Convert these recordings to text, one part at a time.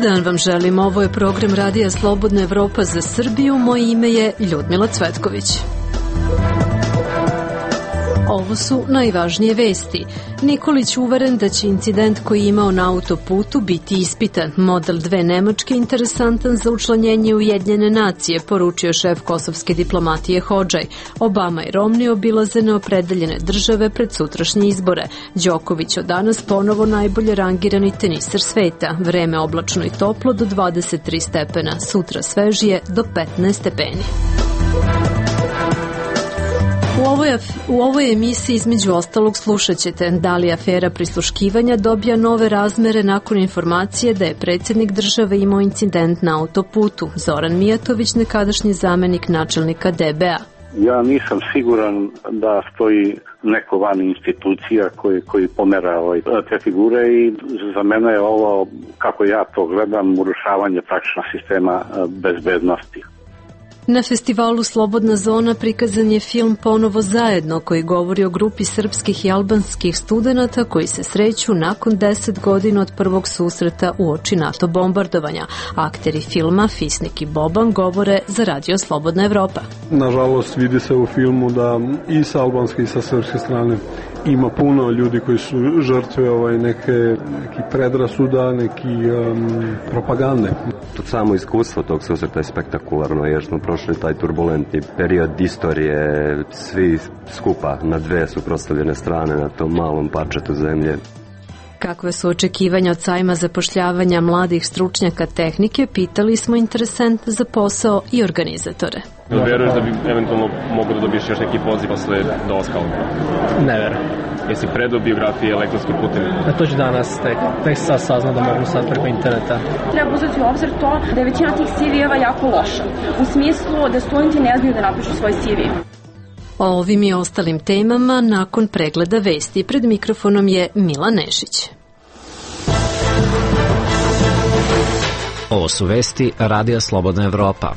dan vam želim, ovo je program Radija Slobodna Evropa za Srbiju, moje ime je Ljudmila Cvetković. Ovo su najvažnije vesti. Nikolić uveren da će incident koji je imao na autoputu biti ispitan. Model 2 Nemačke interesantan za učlanjenje Ujedinjene nacije, poručio šef kosovske diplomatije Hodžaj. Obama i Romni obilaze neopredeljene države pred sutrašnje izbore. Đoković od danas ponovo najbolje rangirani teniser sveta. Vreme oblačno i toplo do 23 stepena. Sutra svežije do 15 stepeni. U ovoj emisiji između ostalog slušat ćete da li afera prisluškivanja dobija nove razmere nakon informacije da je predsjednik države imao incident na autoputu. Zoran Mijatović, nekadašnji zamenik načelnika DBA. Ja nisam siguran da stoji neko van institucija koji pomera te figure i za mene je ovo, kako ja to gledam, urušavanje praktično sistema bezbednosti. Na festivalu Slobodna zona prikazan je film Ponovo zajedno, koji govori o grupi srpskih i albanskih studenata koji se sreću nakon 10 godina od prvog susreta uoči NATO bombardovanja. Akteri filma Fisnik i Boban govore za Radio Slobodna Evropa. Nažalost, vidi se u filmu da i sa albanske i sa srpske strane ima puno ljudi koji su žrtve neki predrasuda, neki propagande. To samo iskustvo tog susreta je spektakularno, jer smo prošli taj turbulentni period istorije, svi skupa na dve suprotstavljene strane na tom malom parčetu zemlje. Kakve su očekivanja od sajma zapošljavanja mladih stručnjaka tehnike, pitali smo interesente za posao i organizatore. Veruješ da bi eventualno mogo da dobiješ još neki poziv posle dolaska ovdje? Ne verujem. Jesi predao biografije elektronskim putem? To ću danas tek sad saznao da mogu sad preko interneta. Treba uzeti u obzir to da je većina tih CV-eva jako loša. U smislu da studenti ne znaju da napišu svoj CV. O ovim i ostalim temama nakon pregleda vesti. Pred mikrofonom je Mila Nešić. Ovo su vesti Radija Slobodna Evropa.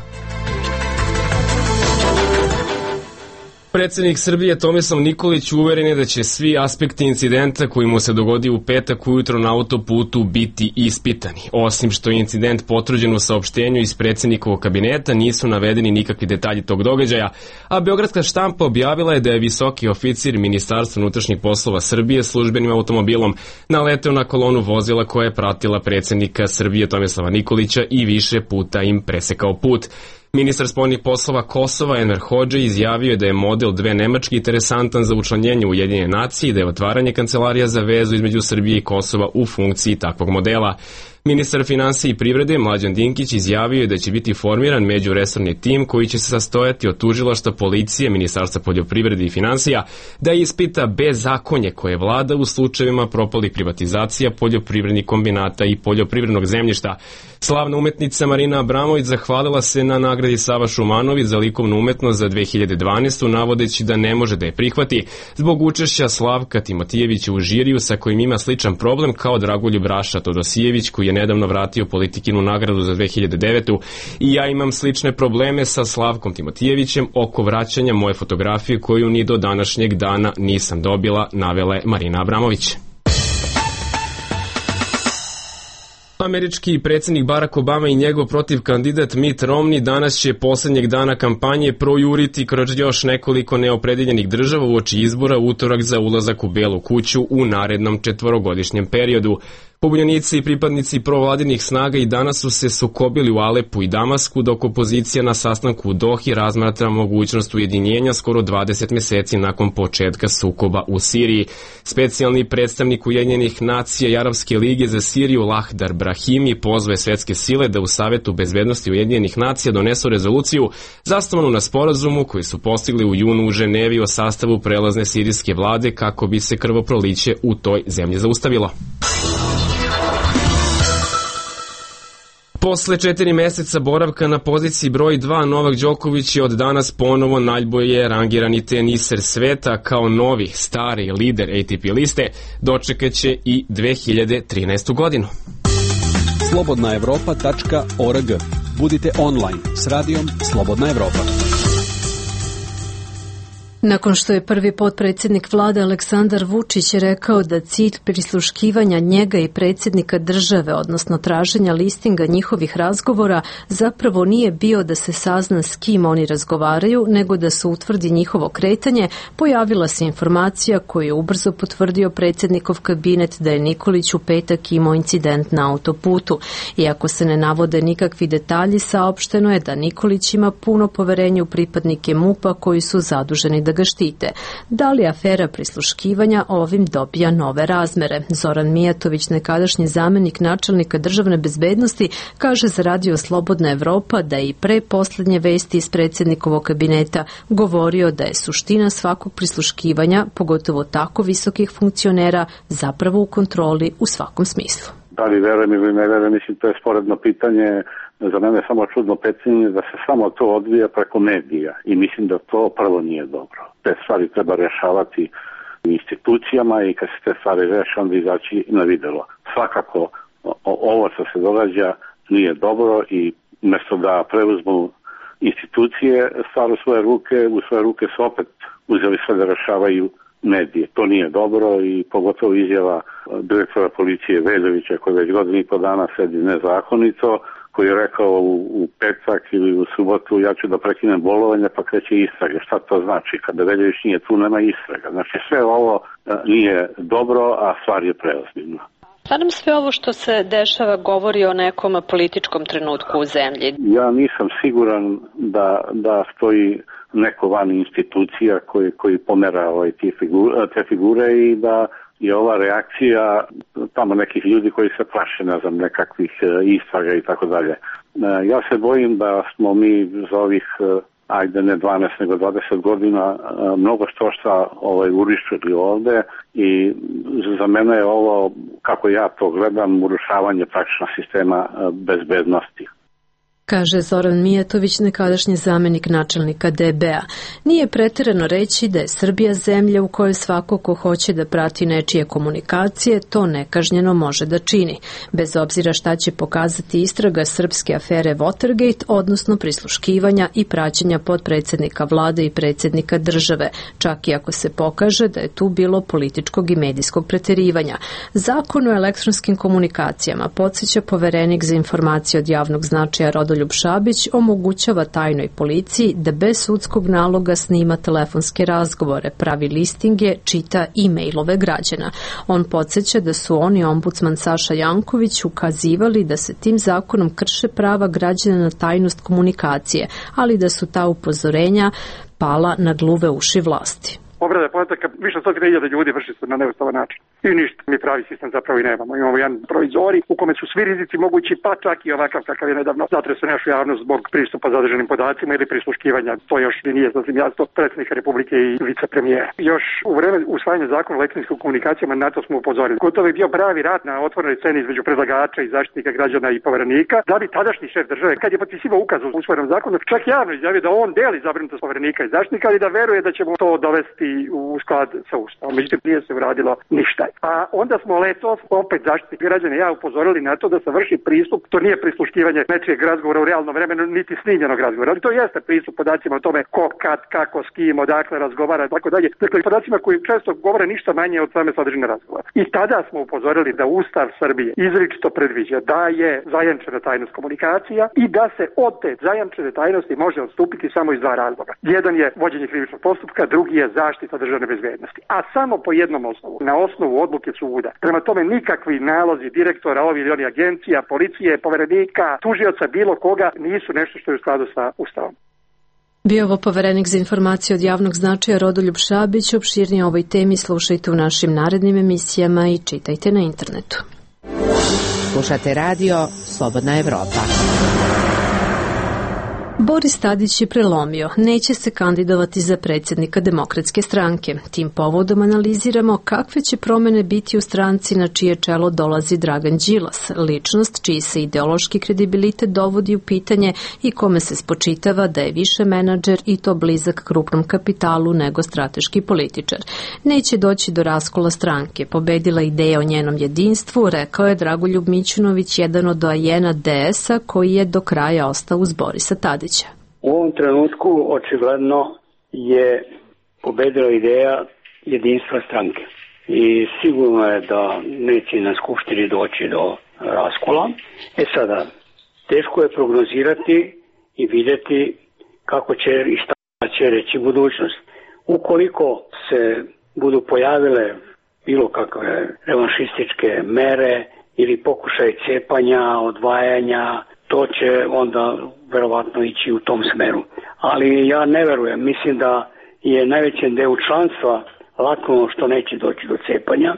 Predsjednik Srbije Tomislav Nikolić uveren je da će svi aspekti incidenta koji mu se dogodio u petak ujutro na autoputu biti ispitani. Osim što je incident potvrđen u saopštenju iz predsjednikovog kabineta, nisu navedeni nikakvi detalji tog događaja, a beogradska štampa objavila je da je visoki oficir Ministarstva unutrašnjih poslova Srbije službenim automobilom naleteo na kolonu vozila koja je pratila predsjednika Srbije Tomislava Nikolića i više puta im presekao put. Ministar spoljnih poslova Kosova Enver Hodžaj izjavio je da je model 2 Nemačke interesantan za učlanjenje Ujedinjene nacije i da je otvaranje kancelarija za vezu između Srbije i Kosova u funkciji takvog modela. Ministar finansija i privrede Mlađan Dinkić izjavio je da će biti formiran međuresorni tim koji će se sastojati od tužilaštva, policije, Ministarstva poljoprivrede i finansija, da ispita bezakonje koje vlada u slučajevima propalih privatizacija poljoprivrednih kombinata i poljoprivrednog zemljišta. Slavna umetnica Marina Abramović zahvalila se na nagradi Sava Šumanović za likovnu umetnost za 2012. navodeći da ne može da je prihvati zbog učešća Slavka Timotijevića u žiriju sa kojim ima sličan problem kao Dragoljub Raša Todosijević koji je nedavno vratio Politikinu nagradu za 2009. I ja imam slične probleme sa Slavkom Timotijevićem oko vraćanja moje fotografije koju ni do današnjeg dana nisam dobila, navela je Marina Abramović. Američki predsjednik Barack Obama i njegov protivkandidat Mitt Romney danas će posljednjeg dana kampanje projuriti kroz još nekoliko neopredeljenih država uoči izbora utorak za ulazak u Belu kuću u narednom 4-godišnjem periodu. Pobunjenici i pripadnici provladinih snaga i danas su se sukobili u Alepu i Damasku, dok opozicija na sastanku u Dohi razmatra mogućnost ujedinjenja skoro 20 mjeseci nakon početka sukoba u Siriji. Specijalni predstavnik Ujedinjenih nacija i Arapske lige za Siriju Lahdar Brahimi pozove svetske sile da u Savetu bezbednosti Ujedinjenih nacija donesu rezoluciju zasnovanu na sporazumu koji su postigli u junu u Ženevi o sastavu prelazne sirijske vlade kako bi se krvoproliće u toj zemlji zaustavilo. Posle 4 mjeseca boravka na poziciji broj 2, Novak Đoković je od danas ponovo najbolje rangirani teniser sveta. Kao novi, stari lider ATP liste dočekaće i 2013. godinu. Nakon što je prvi potpredsjednik vlade Aleksandar Vučić rekao da cilj prisluškivanja njega i predsjednika države, odnosno traženja listinga njihovih razgovora, zapravo nije bio da se sazna s kim oni razgovaraju, nego da se utvrdi njihovo kretanje, pojavila se informacija koju je ubrzo potvrdio predsjednikov kabinet da je Nikolić u petak imao incident na autoputu. Iako se ne navode nikakvi detalji, saopšteno je da Nikolić ima puno poverenja u pripadnike MUP-a koji su zaduženi da ga štite. Da li afera prisluškivanja ovim dobija nove razmere? Zoran Mijatović, nekadašnji zamenik načelnika državne bezbednosti, kaže za Radio Slobodna Evropa da je i pre posljednje vesti iz predsjednikovog kabineta govorio da je suština svakog prisluškivanja, pogotovo tako visokih funkcionera, zapravo u kontroli u svakom smislu. Da li verujem ili ne verujem, mislim, to je sporedno pitanje. Za mene je samo čudno pitanje da se samo to odvija preko medija i mislim da to prvo nije dobro. Te stvari treba rešavati institucijama i kad se te stvari reše, onda izaći na videlo. Svakako ovo što se događa nije dobro i umjesto da preuzmu institucije stvar u svoje ruke su opet uzeli sve da rešavaju medije. To nije dobro i pogotovo izjava direktora policije Veljovića koji već godinu i po dana sedi nezakonito, koji je rekao u petak ili u subotu ja ću da prekinem bolovanje pa kreće istrage. Šta to znači? Kada Veljović nije tu, nema istraga. Znači sve ovo nije dobro, a stvar je preozbiljna. Pa nam sve ovo što se dešava govori o nekom političkom trenutku u zemlji. Ja nisam siguran da stoji neko van institucija koji pomera te figure i da je ova reakcija tamo nekih ljudi koji se plaše, ne znam, nekakvih istraga i tako dalje. Ja se bojim da smo mi za ovih, ajde ne 12 nego 20 godina mnogo šta urišili ovde i za mene je ovo, kako ja to gledam, urušavanje praktično sistema bezbednosti. Kaže Zoran Mijatović, nekadašnji zamenik načelnika DB-a. Nije preterano reći da je Srbija zemlja u kojoj svako ko hoće da prati nečije komunikacije, to nekažnjeno može da čini, bez obzira šta će pokazati istraga srpske afere Watergate, odnosno prisluškivanja i praćenja potpredsjednika vlade i predsjednika države, čak i ako se pokaže da je tu bilo političkog i medijskog preterivanja. Zakon o elektronskim komunikacijama, podsjeća poverenik za informacije od javnog značaja Rodoljub Šabić, omogućava tajnoj policiji da bez sudskog naloga snima telefonske razgovore, pravi listinge, čita e-mailove građana. On podsjeća da su oni ombudsman Saša Janković ukazivali da se tim zakonom krše prava građana na tajnost komunikacije, ali da su ta upozorenja pala na gluve uši vlasti. Obrada podataka više od 100.000 ljudi vrši se na neustavan način. I ništa, mi pravi sistem zapravo i nemamo. Imamo jedan provizori u kome su svi rizici mogući, pa čak i ovakav kakav je nedavno zatresao našu javnost zbog pristupa zadržanim podacima ili prisluškivanja. To još nije sasvim jasno predsjednika Republike i vicepremijera. Još u vreme usvajanja zakona o elektronskim komunikacijama na to smo upozorili. Gotovo je bio pravi rat na otvorenoj sceni između predlagača i zaštitnika građana i poverenika, da bi tadašnji šef države, kad je potpisivao ukaz u usvojenom zakonu, čak javno izjavio da on deli zabrinutost poverenika i zaštitnika, ali da veruje da ćemo to dovesti u sklad sa Ustavom. Međutim, nije se uradilo ništa. A onda smo letos opet zaštitnik građana i ja upozorili na to da se vrši pristup, to nije prisluškivanje nečijeg razgovora u realnom vremenu, niti snimljenog razgovora, ali to jeste pristup podacima o tome ko, kad, kako, s kim, odakle razgovara i tako dalje. Dakle, podacima koji često govore ništa manje od same sadržine razgovora. I tada smo upozorili da Ustav Srbije izričito predviđa da je zajamčena tajnost komunikacija i da se od te zajamčene tajnosti može odstupiti samo iz dva razloga. Jedan je vođenje krivičnog postupka, drugi je zaštita državne bezbednosti. A samo po jednom osnovu, na osnovu odluke suda. Prema tome nikakvi nalozi direktora ovih ili onih agencija, policije, poverenika, tužioca, bilo koga nisu nešto što je u skladu sa Ustavom. Bio ovo poverenik za informacije od javnog značaja Rodoljub Šabić. Opširnije o ovoj temi slušajte u našim narednim emisijama i čitajte na internetu. Slušate radio Slobodna Evropa. Boris Tadić je prelomio, neće se kandidovati za predsjednika Demokratske stranke. Tim povodom analiziramo kakve će promene biti u stranci na čije čelo dolazi Dragan Đilas, ličnost čiji se ideološki kredibilitet dovodi u pitanje i kome se spočitava da je više menadžer i to blizak krupnom kapitalu nego strateški političar. Neće doći do raskola stranke, pobedila ideja o njenom jedinstvu, rekao je Dragoljub Mićunović, jedan od doajena DS-a koji je do kraja ostao uz Borisa Tadića. U ovom trenutku očigledno je pobedila ideja jedinstva stranke. I sigurno je da neće na skupštini doći do raskola. Sada, teško je prognozirati i vidjeti kako će i šta će reći budućnost. Ukoliko se budu pojavile bilo kakve revanšističke mere ili pokušaj cepanja, odvajanja, to će onda verovatno ići u tom smeru. Ali ja ne verujem, mislim da je najvećem delu članstva lako što neće doći do cepanja.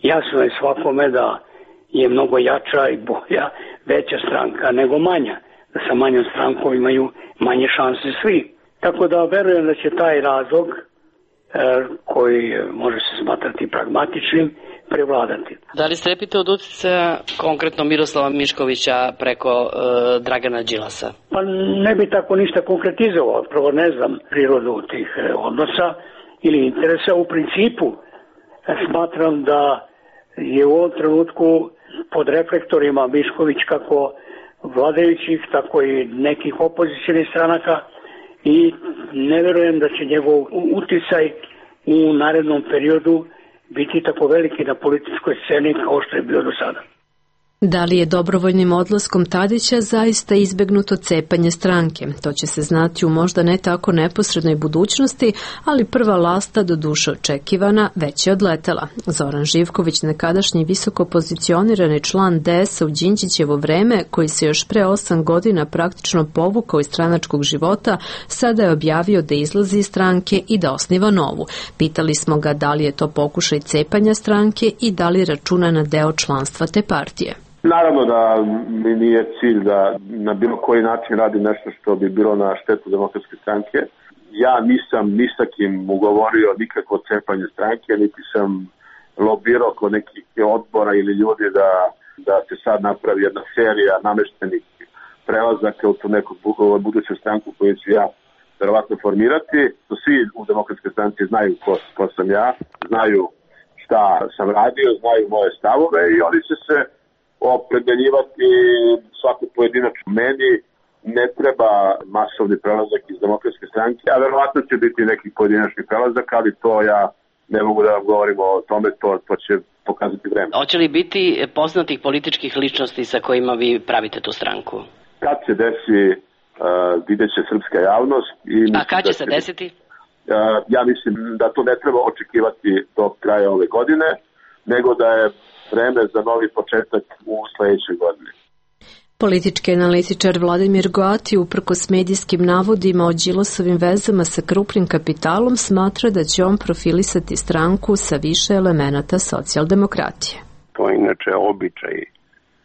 Jasno je svakome da je mnogo jača i bolja veća stranka nego manja. Da sa manjom strankom imaju manje šanse svi. Tako da verujem da će taj razlog koji može se smatrati pragmatičnim prevladati. Da li strepite od uticaja konkretno Miroslava Miškovića preko Dragana Đilasa? Pa ne bi tako ništa konkretizovao. Prvo ne znam prirodu tih odnosa ili interesa. U principu smatram da je u ovom trenutku pod reflektorima Mišković kako vladajućih, tako i nekih opozicionih stranaka i ne verujem da će njegov uticaj u narednom periodu biti tako veliki na političkoj sceni kao što je bio do sada. Da li je dobrovoljnim odlaskom Tadića zaista izbegnuto cepanje stranke? To će se znati u možda ne tako neposrednoj budućnosti, ali prva lasta, do duše očekivana, već je odletela. Zoran Živković, nekadašnji visoko pozicionirani član DS-a u Đinđićevo vreme, koji se još pre 8 godina praktično povukao iz stranačkog života, sada je objavio da izlazi iz stranke i da osniva novu. Pitali smo ga da li je to pokušaj cepanja stranke i da li računa na deo članstva te partije. Naravno da mi nije cilj da na bilo koji način radi nešto što bi bilo na štetu Demokratske stranke. Ja nisam ni sa kim ugovorio nikakvo cepanje stranke, niti sam lobirao kod nekih odbora ili ljudi da se sad napravi jedna serija nameštenih prelazaka u tu neku buduću stranku koju ću ja verovatno formirati. Svi u Demokratskoj stranci znaju ko sam ja, znaju šta sam radio, znaju moje stavove i oni će se opredeljivati svaku pojedinačnu. Meni ne treba masovni prelazak iz Demokratske stranke, a verovatno će biti neki pojedinačni prelazak, ali to ja ne mogu da vam govorim o tome, to će pokazati vreme. Hoće li biti poznatih političkih ličnosti sa kojima vi pravite tu stranku? Kad se desi, vidjet će srpska javnost. A kad će se desiti? Ja mislim da to ne treba očekivati do kraja ove godine, nego da je vreme za novi početak u sledećoj godini. Politički analitičar Vladimir Goati, uprkos medijskim navodima o Đilasovim vezama sa krupnim kapitalom, smatra da će on profilisati stranku sa više elemenata socijaldemokratije. To je inače običaj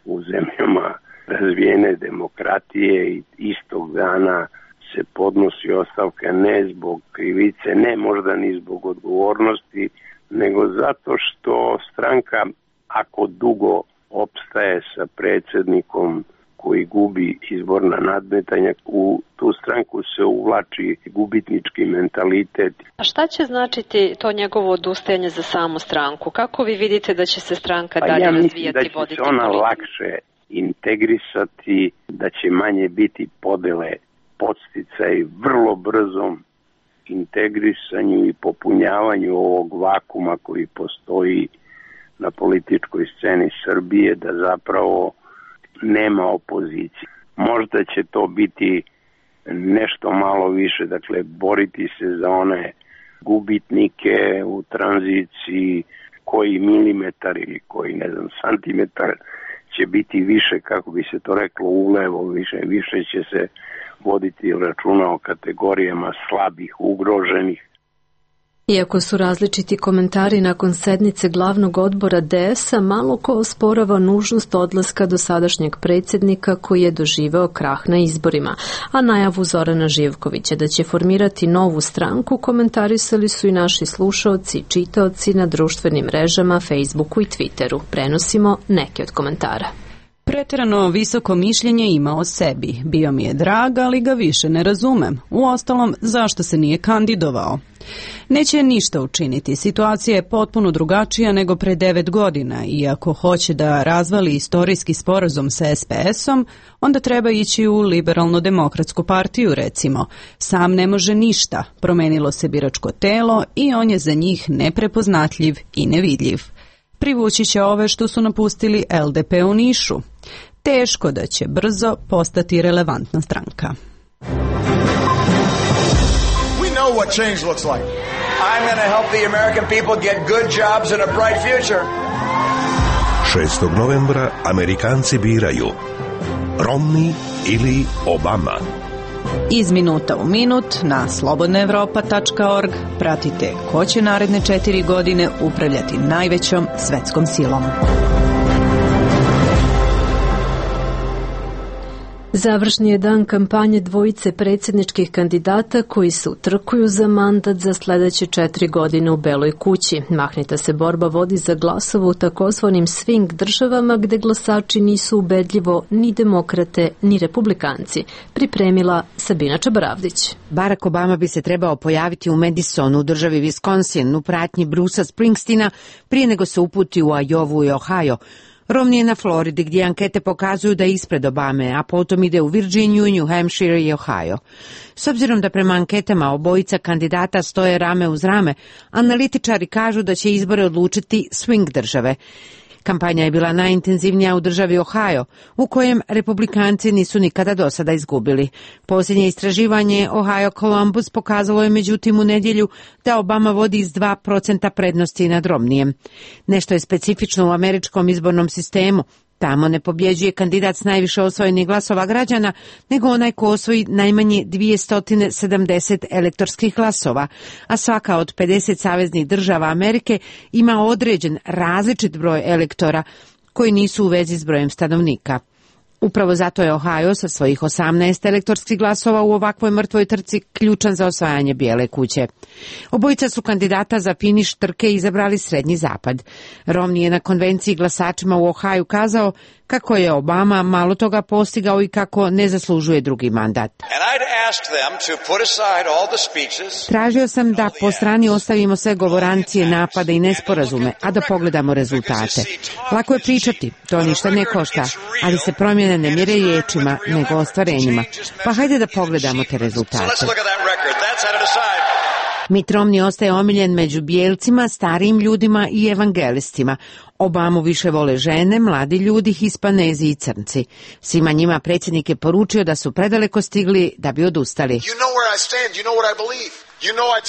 u zemljama razvijene demokratije i istog dana se podnosi ostavka ne zbog krivice, ne možda ni zbog odgovornosti, nego zato što stranka, ako dugo opstaje sa predsjednikom koji gubi izborna nadmetanja, u tu stranku se uvlači gubitnički mentalitet. A šta će značiti to njegovo odustajanje za samu stranku? Kako vi vidite da će se stranka dalje razvijati, voditi politiku? Ja mislim da će se ona lakše integrisati, da će manje biti podele, podsticaj vrlo brzom integrisanju i popunjavanju ovog vakuma koji postoji na političkoj sceni Srbije, da zapravo nema opozicije. Možda će to biti nešto malo više, dakle boriti se za one gubitnike u tranziciji, koji milimetar ili koji santimetar će biti više, kako bi se to reklo, ulevo, više će se voditi računa o kategorijama slabih, ugroženih. Iako su različiti komentari nakon sednice glavnog odbora DS-a, malo ko osporava nužnost odlaska dosadašnjeg predsjednika koji je doživeo krah na izborima, a najavu Zorana Živkovića da će formirati novu stranku komentarisali su i naši slušaoci i čitaoci na društvenim mrežama, Facebooku i Twitteru. Prenosimo neke od komentara. Pretjerano visoko mišljenje ima o sebi. Bio mi je drag, ali ga više ne razumem. Uostalom, zašto se nije kandidovao? Neće ništa učiniti. Situacija je potpuno drugačija nego pre 9 godina i ako hoće da razvali istorijski sporazum sa SPS-om, onda treba ići u liberalno-demokratsku partiju, recimo. Sam ne može ništa. Promenilo se biračko telo i on je za njih neprepoznatljiv i nevidljiv. Privući će ove što su napustili LDP u Nišu. Teško da će brzo postati relevantna stranka. Know what change looks like. I'm going to help the American people get good jobs and a bright future. 6. novembra Amerikanci biraju Romney ili Obama. Iz minuta u minut na slobodnaevropa.org pratite ko će naredne 4 godine upravljati najvećom svetskom silom. Završni je dan kampanje dvojice predsjedničkih kandidata koji se utrkuju za mandat za sljedeće 4 godine u Beloj kući. Mahnita se borba vodi za glasove u takozvanim swing državama gde glasači nisu ubedljivo ni demokrate ni republikanci. Pripremila Sabina Čabaravdić. Barack Obama bi se trebao pojaviti u Madisonu u državi Wisconsin u pratnji Brucea Springsteena prije nego se uputi u Iowa i Ohio. Romney je na Floridi gdje ankete pokazuju da je ispred Obame, a potom ide u Virginiju, New Hampshire i Ohio. S obzirom da prema anketama obojica kandidata stoje rame uz rame, analitičari kažu da će izbore odlučiti swing države. Kampanja je bila najintenzivnija u državi Ohio, u kojem republikanci nisu nikada do sada izgubili. Posljednje istraživanje Ohio Columbus pokazalo je međutim u nedjelju da Obama vodi iz 2% prednosti nad Romnijem. Nešto je specifično u američkom izbornom sistemu. Tamo ne pobjeđuje kandidat s najviše osvojenih glasova građana, nego onaj ko osvoji najmanje 270 elektorskih glasova, a svaka od 50 saveznih država Amerike ima određen različit broj elektora koji nisu u vezi s brojem stanovnika. Upravo zato je Ohio sa svojih 18 elektorskih glasova u ovakvoj mrtvoj trci ključan za osvajanje Bijele kuće. Obojica su kandidata za finiš trke izabrali Srednji zapad. Romney je na konvenciji glasačima u Ohio kazao kako je Obama malo toga postigao i kako ne zaslužuje drugi mandat. Tražio sam da po strani ostavimo sve govorancije, napade i nesporazume, a da pogledamo rezultate. Lako je pričati, to ništa ne košta, ali se promjene ne mjere riječima, nego ostvarenjima. Pa hajde da pogledamo te rezultate. Mitt Romney ostaje omiljen među bijelcima, starijim ljudima i evangelistima. Obamu više vole žene, mladi ljudi, Hispanezi i crnci. Svima njima predsjednik je poručio da su predaleko stigli da bi odustali.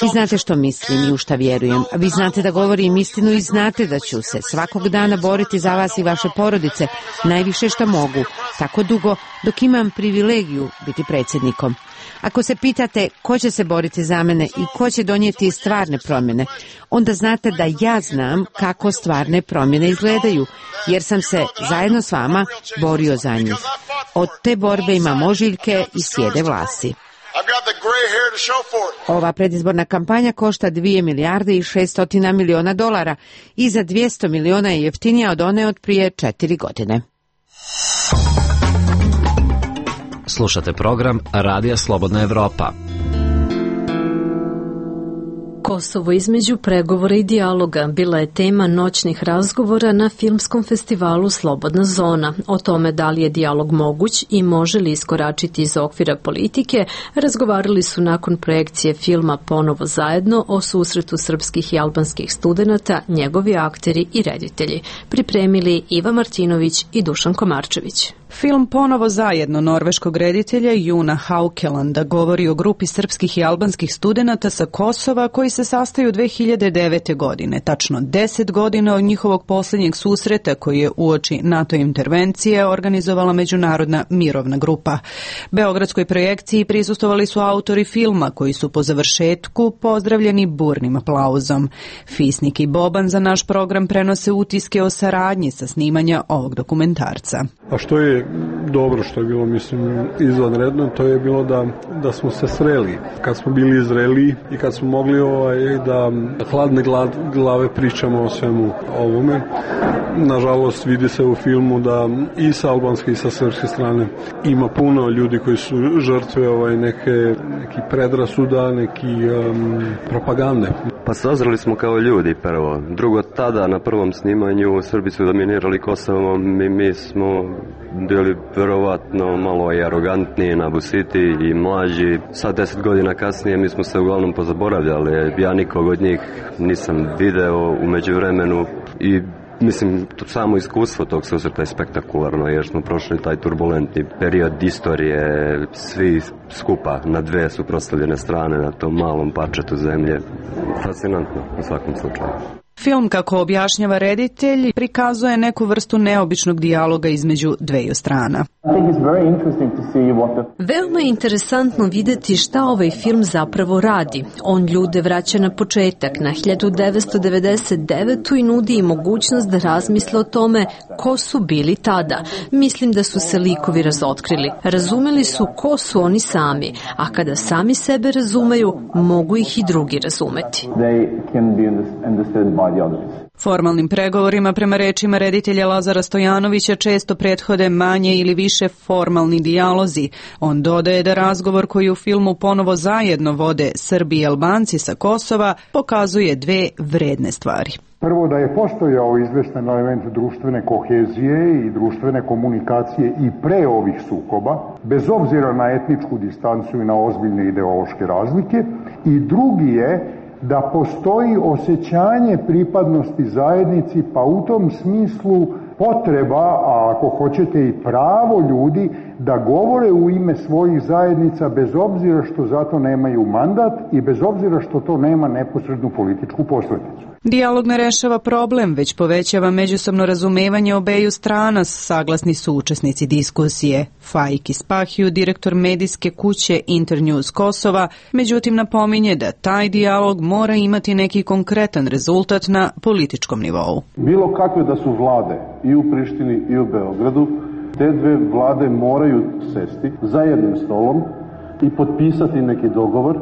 Vi znate što mislim i u šta vjerujem. Vi znate da govorim istinu i znate da ću se svakog dana boriti za vas i vaše porodice najviše što mogu, tako dugo dok imam privilegiju biti predsjednikom. Ako se pitate ko će se boriti za mene i ko će donijeti stvarne promjene, onda znate da ja znam kako stvarne promjene izgledaju, jer sam se zajedno s vama borio za njih. Od te borbe imam ožiljke i sjede vlasi. Ova predizborna kampanja košta $2 milijarde i 600 miliona dolara i za 200 miliona je jeftinija od one od prije 4 godine. Slušate program Radija Slobodna Evropa. Kosovo između pregovora i dijaloga bila je tema noćnih razgovora na filmskom festivalu Slobodna zona. O tome da li je dijalog moguć i može li iskoračiti iz okvira politike, razgovarali su nakon projekcije filma Ponovo zajedno o susretu srpskih i albanskih studenata, njegovi akteri i reditelji. Pripremili Iva Martinović i Dušan Komarčević. Film Ponovo zajedno norveškog reditelja Juna Haukelanda govori o grupi srpskih i albanskih studenata sa Kosova koji se sastaju 2009. godine, tačno 10 godina od njihovog posljednjeg susreta koji je uoči NATO intervencije organizovala Međunarodna mirovna grupa. Beogradskoj projekciji prisustvovali su autori filma koji su po završetku pozdravljeni burnim aplauzom. Fisnik i Boban za naš program prenose utiske o saradnji sa snimanja ovog dokumentarca. A što je je dobro, što je bilo, mislim, izvanredno, to je bilo da smo se sreli. Kad smo bili zreli i kad smo mogli da hladne glave pričamo o svemu ovome. Nažalost, vidi se u filmu da i sa albanske i sa srpske strane ima puno ljudi koji su žrtve neki predrasuda, neki propagande. Pa sazreli smo kao ljudi prvo. Drugo, tada na prvom snimanju Srbi su dominirali Kosovom, mi smo bili verovatno malo i arogantniji, nabusiti i mlađi. Sad 10 godina kasnije mi smo se uglavnom pozaboravljali. Ja nikog od njih nisam video u međuvremenu i mislim, to samo iskustvo tog susreta je spektakularno, jer smo prošli taj turbulentni period istorije, svi skupa na dve suprotstavljene strane na tom malom parčetu zemlje. Fascinantno u svakom slučaju. Film, kako objašnjava reditelj, prikazuje neku vrstu neobičnog dijaloga između dveju strana. Veoma je interesantno videti šta ovaj film zapravo radi. On ljude vraća na početak, na 1999. i nudi im mogućnost da razmisle o tome ko su bili tada. Mislim da su se likovi razotkrili. Razumeli su ko su oni sami, a kada sami sebe razumeju, mogu ih i drugi razumeti. Formalnim pregovorima, prema rečima reditelja Lazara Stojanovića, često prethode manje ili više formalni dijalozi. On dodaje da razgovor koji u filmu ponovo zajedno vode Srbi i Albanci sa Kosova pokazuje dve vredne stvari. Prvo, da je postojao izvestan element društvene kohezije i društvene komunikacije i pre ovih sukoba, bez obzira na etničku distancu i na ozbiljne ideološke razlike. I drugi je da postoji osjećanje pripadnosti zajednici, pa u tom smislu potreba, a ako hoćete i pravo ljudi, da govore u ime svojih zajednica bez obzira što zato nemaju mandat i bez obzira što to nema neposrednu političku posledicu. Dijalog ne rešava problem, već povećava međusobno razumevanje obeju strana, saglasni su učesnici diskusije. Faik Ispahiju, direktor medijske kuće Internews Kosova, međutim napominje da taj dijalog mora imati neki konkretan rezultat na političkom nivou. Bilo kakve da su vlade i u Prištini i u Beogradu, te dve vlade moraju sesti za jednim stolom i potpisati neki dogovor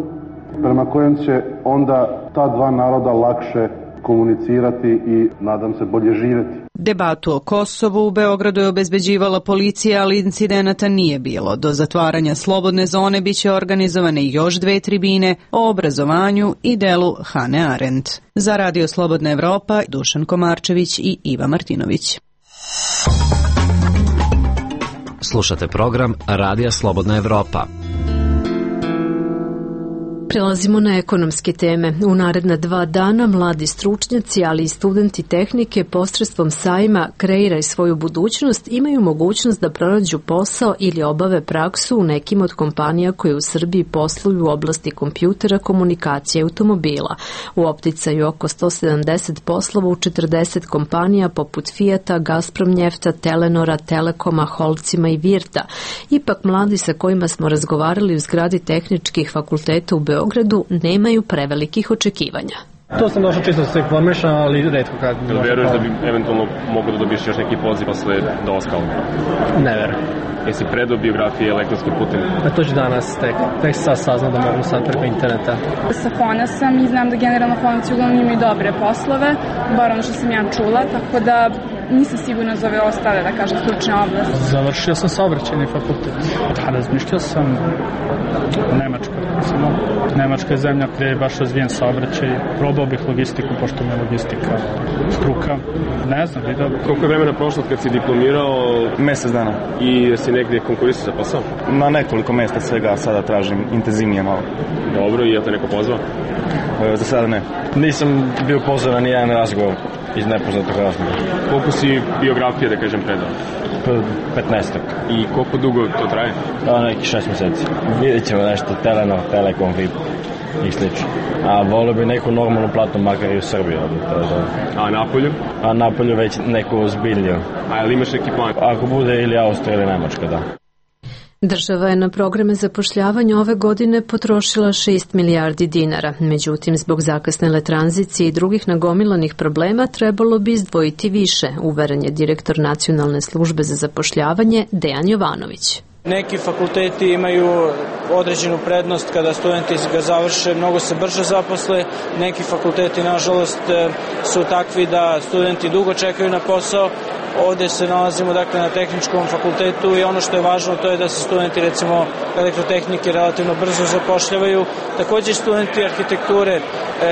prema kojem će onda ta dva naroda lakše komunicirati i, nadam se, bolje živjeti. Debatu o Kosovu u Beogradu je obezbeđivala policija, ali incidenata nije bilo. Do zatvaranja slobodne zone biće organizovane još dve tribine o obrazovanju i delu Hane Arendt. Za Radio Slobodna Evropa, Dušan Komarčević i Iva Martinović. Slušate program Radija Slobodna Evropa. Prelazimo na ekonomske teme. U naredna 2 dana mladi stručnjaci, ali i studenti tehnike posredstvom sajma Kreiraj svoju budućnost imaju mogućnost da pronađu posao ili obave praksu u nekim od kompanija koje u Srbiji posluju u oblasti kompjutera, komunikacije i automobila. U opticaju oko 170 poslova u 40 kompanija poput Fijata, Gazprom Njefta, Telenora, Telekoma, Holcima i Virta. Ipak mladi sa kojima smo razgovarali u zgradi tehničkih fakulteta u Beogradu nemaju prevelikih očekivanja. To sam došao čisto da se informišem, ali retko kad... Jel veruješ da bi eventualno mogo da dobiš još neki poziv posle dolaska? Ne verujem. Jesi predao biografije elektronskim putem? To ću danas tek sad saznam da mogu sad preko interneta. Sa Fona sam i znam da generalno Fonci uglavnom imaju dobre poslove, bar ono što sam ja čula, tako da nisam sigurna za ove ostale, da kažem, stručne oblasti. Završio sam saobraćajni fakultet. Razmišljao sam Nemačka. Nemačka je zemlja gde je baš razvijen saobraćaj. Probao bih logistiku, pošto mi je logistika struka. Ne znam, vidio. Koliko je vremena prošlo kad si diplomirao? Mesec dana. I si negdje konkurisao za posao? Na nekoliko mesta svega sada tražim intenzivnije malo. Dobro, i je te neko pozvao? Za sada ne. Nisam bio pozvan na nijedan razgovor iz nepoznatog razgovora. Koliko si biografije, da kažem, predao? 15. I koliko dugo to traje? Neki 6 meseci. Vidjet ćemo nešto, Telenor, Telekom, VIP i slično. A volio bi neku normalnu platu, makar i u Srbiji. A napolju? A napolju već neku ozbiljniju. A ili imaš neki plan? Ako bude ili Austrija ili Nemačka, da. Država je na programe zapošljavanja ove godine potrošila 6 milijardi dinara. Međutim, zbog zakasnele tranzicije i drugih nagomilanih problema trebalo bi izdvojiti više, uveren je direktor Nacionalne službe za zapošljavanje Dejan Jovanović. Neki fakulteti imaju određenu prednost kada studenti ga završe, mnogo se brže zaposle. Neki fakulteti, nažalost, su takvi da studenti dugo čekaju na posao. Ovde se nalazimo dakle na tehničkom fakultetu i ono što je važno to je da se studenti recimo elektrotehnike relativno brzo zapošljavaju. Takođe studenti arhitekture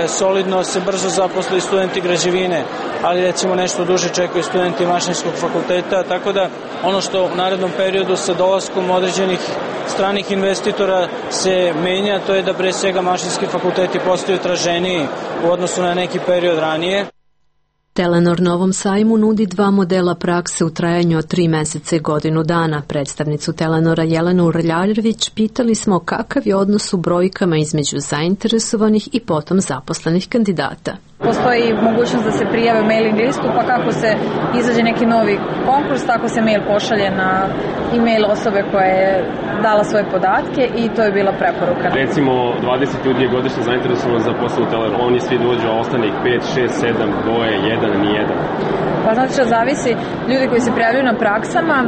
solidno se brzo zaposle i studenti građevine, ali recimo nešto duže čekaju studenti mašinskog fakulteta, tako da ono što u narednom periodu sa dolaskom određenih stranih investitora se menja, to je da pre svega mašinski fakulteti postaju traženiji u odnosu na neki period ranije. Telenor na ovom sajmu nudi 2 modela prakse u trajanju od 3 meseca i godinu dana. Predstavnicu Telenora Jelenu Rljarjević pitali smo kakav je odnos u brojkama između zainteresovanih i potom zaposlenih kandidata. Postoji mogućnost da se prijave u mailing listu, pa kako se izađe neki novi konkurs, tako se mail pošalje na e-mail osobe koja je dala svoje podatke i to je bila preporuka. Recimo, 20 ljudi je godišnje zainteresovano za posao u Teleru. Oni svi dođu, a ostane ih 5, 6, 7, dvoje, jedan, nijedan. Pa znači što zavisi, ljudi koji se prijavljaju na praksama,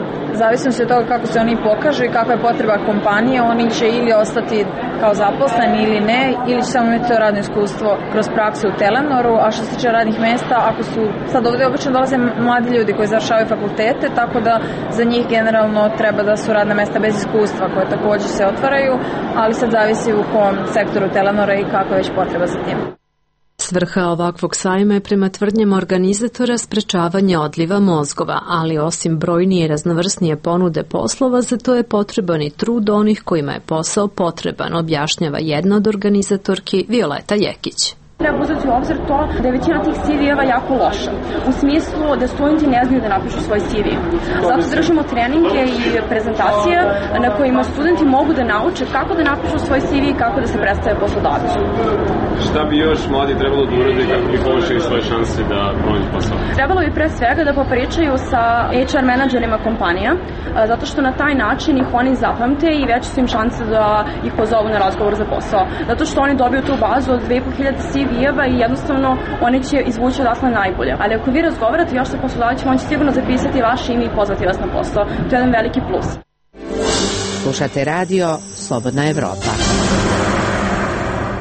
zavisno se od toga kako se oni pokažu i kakva je potreba kompanije, oni će ili ostati kao zaposleni ili ne, ili će samo imati to radno iskustvo kroz praksu u Telenoru, a što se tiče radnih mesta, ako su, sad ovde obično dolaze mladi ljudi koji završavaju fakultete, tako da za njih generalno treba da su radna mesta bez iskustva koje takođe se otvaraju, ali sad zavisi u kom sektoru Telenora i kakva je već potreba za tim. Svrha ovakvog sajma je prema tvrdnjama organizatora sprečavanje odliva mozgova, ali osim brojnije i raznovrsnije ponude poslova, za to je potreban i trud onih kojima je posao potreban, objašnjava jedna od organizatorki Violeta Jekić. Treba uzeti u obzir to da je većina tih CV-eva jako loša. U smislu da studenti ne znaju da napišu svoj CV. Zato držimo treninge i prezentacije na kojima studenti mogu da nauče kako da napišu svoj CV i kako da se predstave poslodavcu. Šta bi još mladi trebalo da urade kako bi povećali svoje šanse da pronađu posao? Trebalo bi pre svega da popričaju sa HR menadžerima kompanija, zato što na taj način ih oni zapamte i veće su im šanse da ih pozovu na razgovor za posao. Zato što oni dobiju tu bazu od 2500 CV-eva i jednostavno oni će izvući odatle najbolje. Ali ako vi razgovarate još sa poslodavcima, on će sigurno zapisati vaše ime i pozvati vas na posao. To je jedan veliki plus. Slušate radio Slobodna Evropa.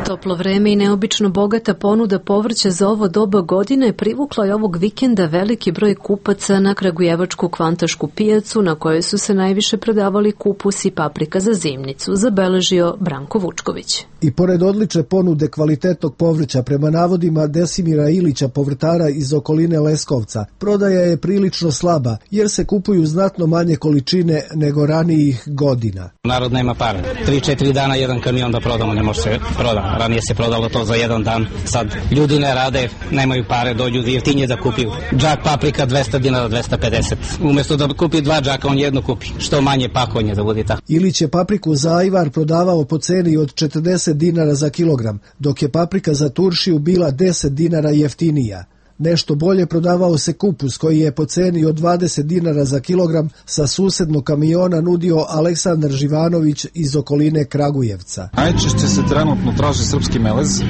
Toplo vreme i neobično bogata ponuda povrća za ovo doba godine privukla je ovog vikenda veliki broj kupaca na kragujevačku kvantašku pijacu na kojoj su se najviše prodavali kupus i paprika za zimnicu, zabeležio Branko Vučković. I pored odlične ponude kvalitetnog povrća, prema navodima Desimira Ilića, povrtara iz okoline Leskovca, prodaja je prilično slaba jer se kupuju znatno manje količine nego ranijih godina. Narod nema pare. 3-4 dana jedan kamion da prodamo ne može se prodati. Ranije se prodalo to za jedan dan. Sad ljudi ne rade, nemaju pare, dođu jeftinije da kupi. Džak paprika 200 dinara, 250. Umesto da kupi 2 džaka, on jedno kupi. Što manje pakovanje da bude tako. Ilić je papriku za ajvar prodavao po ceni od 40 dinara za kilogram, dok je paprika za turšiju bila 10 dinara jeftinija. Nešto bolje prodavao se kupus koji je po ceni od 20 dinara za kilogram sa susednog kamiona nudio Aleksandar Živanović iz okoline Kragujevca. Najčešće se trenutno traži srpski melez.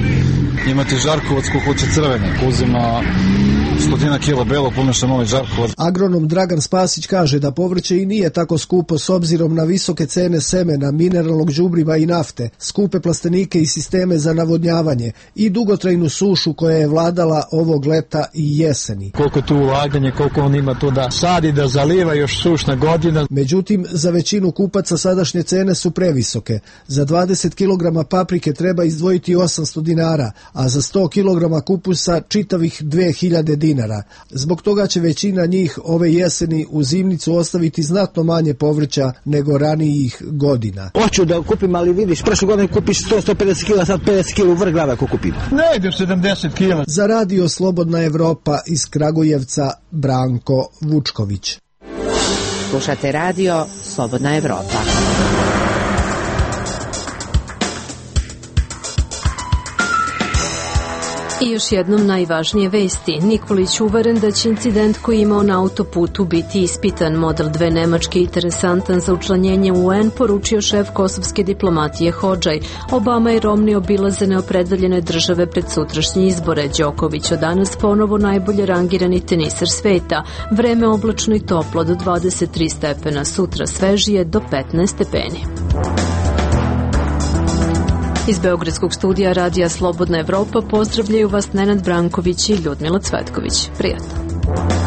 Imate žarkovac kukuće crvene, uzima 100 kila belo pomešan ovaj žarkovac. Agronom Dragan Spasić kaže da povrće i nije tako skupo s obzirom na visoke cene semena, mineralnog đubriva i nafte, skupe plastenike i sisteme za navodnjavanje i dugotrajnu sušu koja je vladala ovog leta i jeseni. Koliko tu ulaganje, koliko on ima tu da sadi, da zaliva, još sušna godina. Međutim, za većinu kupaca sadašnje cene su previsoke. Za 20 kg paprike treba izdvojiti 800 dinara, a za 100 kg kupusa čitavih 2000 dinara. Zbog toga će većina njih ove jeseni u zimnicu ostaviti znatno manje povrća nego ranijih godina. Hoću da kupim, ali vidiš, prošle godine kupiš 100-150 kg, sad 50 kg u vrh glave ako kupim. Ne ide 70 kg. Za radio Slobodna Evropa iz Kragujevca, Branko Vučković. Slušate radio Slobodna Evropa. I još jednom najvažnije vesti. Nikolić uveren da će incident koji je imao na autoputu biti ispitan. Model 2 Nemačke interesantan za učlanjenje u UN, poručio šef kosovske diplomatije Hodžaj. Obama i Romney obilaze neopredeljene države pred sutrašnje izbore. Đoković od danas ponovo najbolje rangirani teniser sveta. Vreme oblačno i toplo do 23 stepena, sutra svežije do 15 stepeni. Iz Beogradskog studija Radija Slobodna Evropa pozdravljaju vas Nenad Branković i Ljudmila Cvetković. Prijatno.